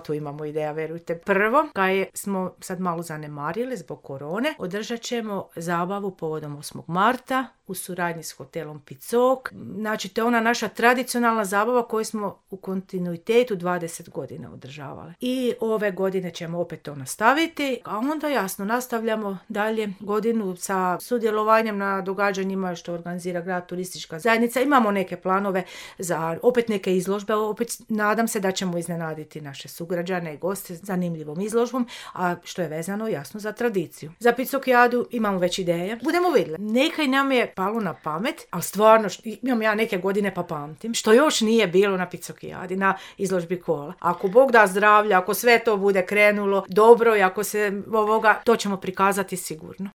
tu imamo ideja, verujte. Prvo, kaj smo sad malo zanemarili zbog korone, održat ćemo zabavu povodom 8. marta u suradnji s hotelom Picok. Znači, to je ona naša tradicionalna zabava koju smo u kontinuitetu 20 godina održavali. I ove godine ćemo opet to nastaviti, a onda jasno nastavljamo dalje godinu sa sudjelovanjem na događanjima što organizira grad, turistička zajednica. Imamo neke planove za opet neke izložbe, opet nadam se da ćemo iznenaditi naše sugrađane i goste zanimljivom izložbom, a što je vezano jasno za tradiciju. Za Picokijadu imamo već ideje. Budemo vidjeli. Nekaj nam je palo na pamet, ali stvarno imam ja neke godine pa pamtim, što još nije bilo na Picokijadi, na izložbi kola. Ako Bog da zdravlja, ako sve to bude krenulo dobro i ako se to ćemo prikazati sigurno.